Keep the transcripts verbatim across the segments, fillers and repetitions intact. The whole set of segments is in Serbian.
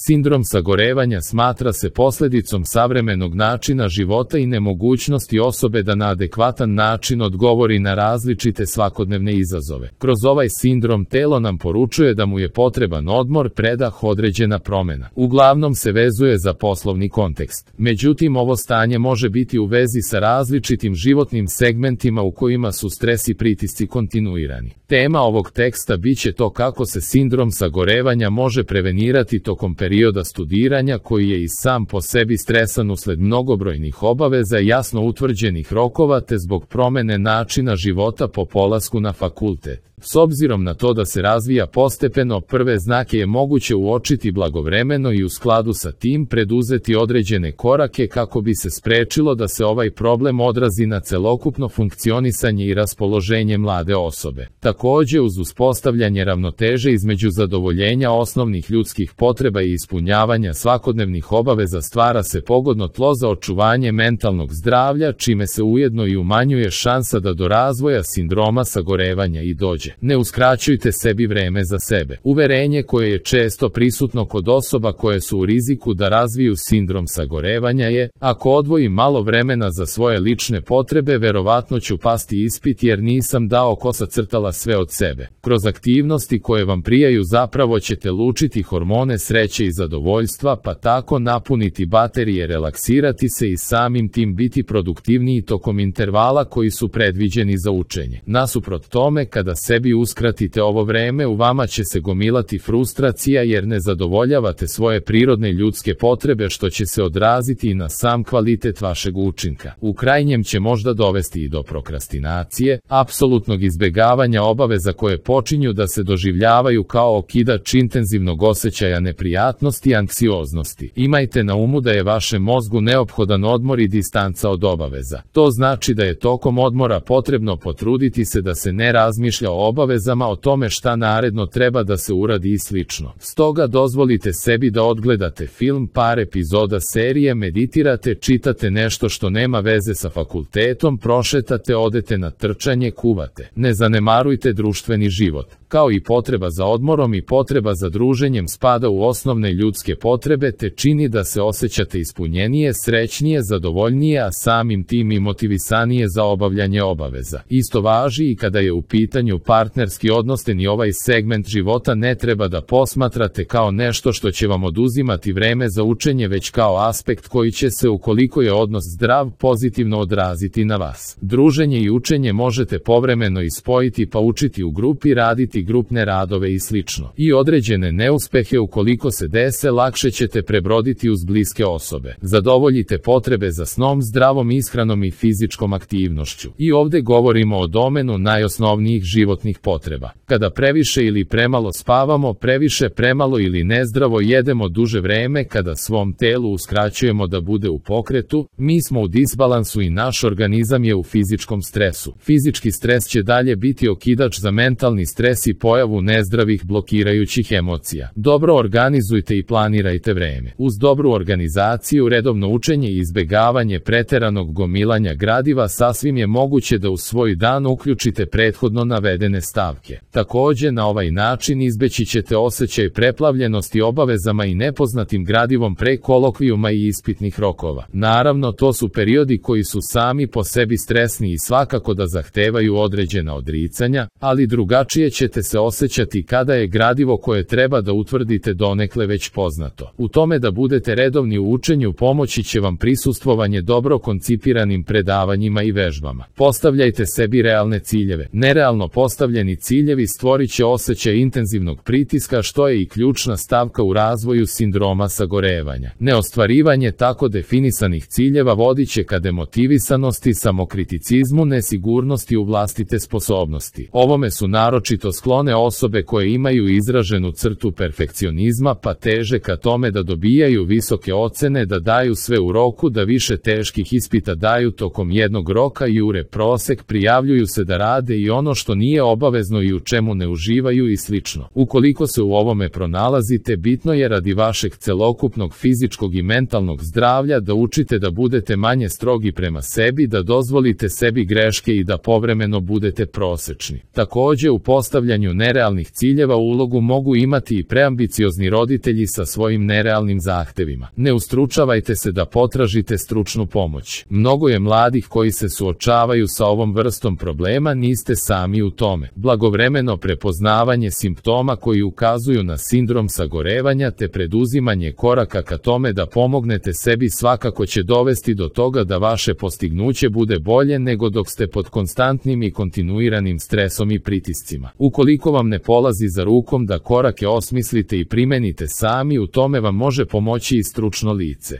Sindrom sagorevanja smatra se posljedicom savremenog načina života i nemogućnosti osobe da na adekvatan način odgovori na različite svakodnevne izazove. Kroz ovaj sindrom telo nam poručuje da mu je potreban odmor, predah, određena promjena. Uglavnom se vezuje za poslovni kontekst. Međutim, ovo stanje može biti u vezi sa različitim životnim segmentima u kojima su stres i pritisci kontinuirani. Tema ovog teksta biće to kako se sindrom sagorevanja može prevenirati tokom perioda studiranja koji je i sam po sebi stresan usled mnogobrojnih obaveza i jasno utvrđenih rokova te zbog promjene načina života po polasku na fakultet. S obzirom na to da se razvija postepeno, prve znake je moguće uočiti blagovremeno i u skladu sa tim preduzeti određene korake kako bi se sprečilo da se ovaj problem odrazi na celokupno funkcionisanje i raspoloženje mlade osobe. Također, uz uspostavljanje ravnoteže između zadovoljenja osnovnih ljudskih potreba i ispunjavanja svakodnevnih obaveza stvara se pogodno tlo za očuvanje mentalnog zdravlja, čime se ujedno i umanjuje šansa da do razvoja sindroma sagorevanja i dođe. Ne uskraćujte sebi vreme za sebe. Uverenje koje je često prisutno kod osoba koje su u riziku da razviju sindrom sagorevanja je: ako odvojim malo vremena za svoje lične potrebe, verovatno ću pasti ispit jer nisam dao kosa crtala sve od sebe. Kroz aktivnosti koje vam prijaju zapravo ćete lučiti hormone sreće i zadovoljstva, pa tako napuniti baterije, relaksirati se i samim tim biti produktivniji tokom intervala koji su predviđeni za učenje. Nasuprot tome, kada sebi uskratite ovo vreme, u vama će se gomilati frustracija jer ne zadovoljavate svoje prirodne ljudske potrebe, što će se odraziti i na sam kvalitet vašeg učinka. U krajnjem će možda dovesti i do prokrastinacije, apsolutnog izbjegavanja obaveza koje počinju da se doživljavaju kao okidač intenzivnog osjećaja neprijatnosti i anksioznosti. Imajte na umu da je vašem mozgu neophodan odmor i distanca od obaveza. To znači da je tokom odmora potrebno potruditi se da se ne razmišlja o obavezama, o tome šta naredno treba da se uradi i slično. Stoga dozvolite sebi da odgledate film, par epizoda serije, meditirate, čitate nešto što nema veze sa fakultetom, prošetate, odete na trčanje, kuvate. Ne zanemarujte društveni život. Kao i potreba za odmorom i potreba za druženjem spada u osnovne ljudske potrebe te čini da se osjećate ispunjenije, srećnije, zadovoljnije, a samim tim i motivisanije za obavljanje obaveza. Isto važi i kada je u pitanju partnerski odnos, te ni ovaj segment života ne treba da posmatrate kao nešto što će vam oduzimati vreme za učenje, već kao aspekt koji će se, ukoliko je odnos zdrav, pozitivno odraziti na vas. Druženje i učenje možete povremeno ispojiti, pa učiti u grupi, raditi grupne radove i slično. I određene neuspehe, ukoliko se dese, lakše ćete prebroditi uz bliske osobe. Zadovoljite potrebe za snom, zdravom ishranom i fizičkom aktivnošću. I ovdje govorimo o domenu najosnovnijih životnih potreba. Kada previše ili premalo spavamo, previše, premalo ili nezdravo jedemo duže vreme, kada svom telu uskraćujemo da bude u pokretu, mi smo u disbalansu i naš organizam je u fizičkom stresu. Fizički stres će dalje biti okidač za mentalni stres i pojavu nezdravih blokirajućih emocija. Dobro organizujte i planirajte vreme. Uz dobru organizaciju, redovno učenje i izbjegavanje preteranog gomilanja gradiva sasvim je moguće da u svoj dan uključite prethodno navedene stavke. Također, na ovaj način izbeći ćete osjećaj preplavljenosti obavezama i nepoznatim gradivom pre kolokvijuma i ispitnih rokova. Naravno, to su periodi koji su sami po sebi stresni i svakako da zahtevaju određena odricanja, ali drugačije ćete se osjećati kada je gradivo koje treba da utvrdite donekle već poznato. U tome da budete redovni u učenju pomoći će vam prisustvovanje dobro koncipiranim predavanjima i vežbama. Postavljajte sebi realne ciljeve. Nerealno postavljeni ciljevi stvorit će osjećaj intenzivnog pritiska, što je i ključna stavka u razvoju sindroma sagorevanja. Neostvarivanje tako definisanih ciljeva vodit će ka demotivisanosti, samokriticizmu, nesigurnosti u vlastite sposobnosti. Ovome su naročito sklone osobe koje imaju izraženu crtu perfekcionizma, pa teže ka tome da dobijaju visoke ocene, da daju sve u roku, da više teških ispita daju tokom jednog roka, jure prosek, prijavljuju se da rade i ono što nije obavezno i u čemu ne uživaju i slično. Ukoliko se u ovome pronalazite, bitno je radi vašeg celokupnog fizičkog i mentalnog zdravlja da učite da budete manje strogi prema sebi, da dozvolite sebi greške i da povremeno budete prosečni. Također, u postavljanju postavljanju nerealnih ciljeva ulogu mogu imati i preambiciozni roditelji sa svojim nerealnim zahtevima. Ne ustručavajte se da potražite stručnu pomoć. Mnogo je mladih koji se suočavaju sa ovom vrstom problema, niste sami u tome. Blagovremeno prepoznavanje simptoma koji ukazuju na sindrom sagorevanja te preduzimanje koraka ka tome da pomognete sebi svakako će dovesti do toga da vaše postignuće bude bolje nego dok ste pod konstantnim i kontinuiranim stresom i pritiscima. Ukoliko vam ne polazi za rukom da korake osmislite i primenite sami, u tome vam može pomoći i stručno lice.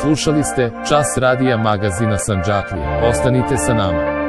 Slušali ste Čas radija magazina Sandžaklija. Ostanite sa nama.